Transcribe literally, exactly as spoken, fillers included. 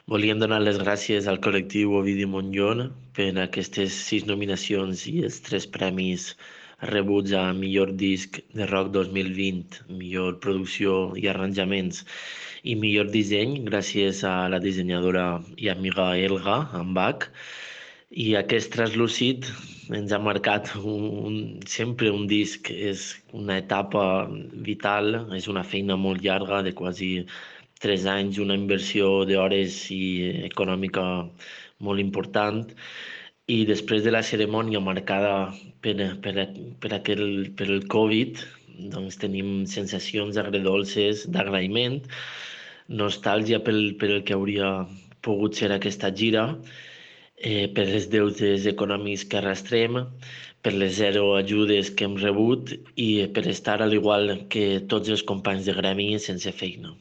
Volíem donar les gràcies al col·lectiu Ovidi Montllor per aquestes sis nominacions i els tres premis rebuts a millor disc de rock dos mil vint, millor producció i arranjaments i millor disseny gràcies a la dissenyadora i amiga Elga Ambach. I aquest translúcid ens ha marcat un, un, sempre un disc, és una etapa vital, és una feina molt llarga de quasi tres anys, una inversió d'hores i econòmica molt important. I després de la cerimònia marcada per, per, per, aquel, per el Covid, doncs tenim sensacions agredolces d'agraïment, nostàlgia pel, per el que hauria pogut ser aquesta gira, eh, per les deutes econòmics que arrastrem, per les zero ajudes que hem rebut i per estar, al igual que tots els companys de gremi, sense feina.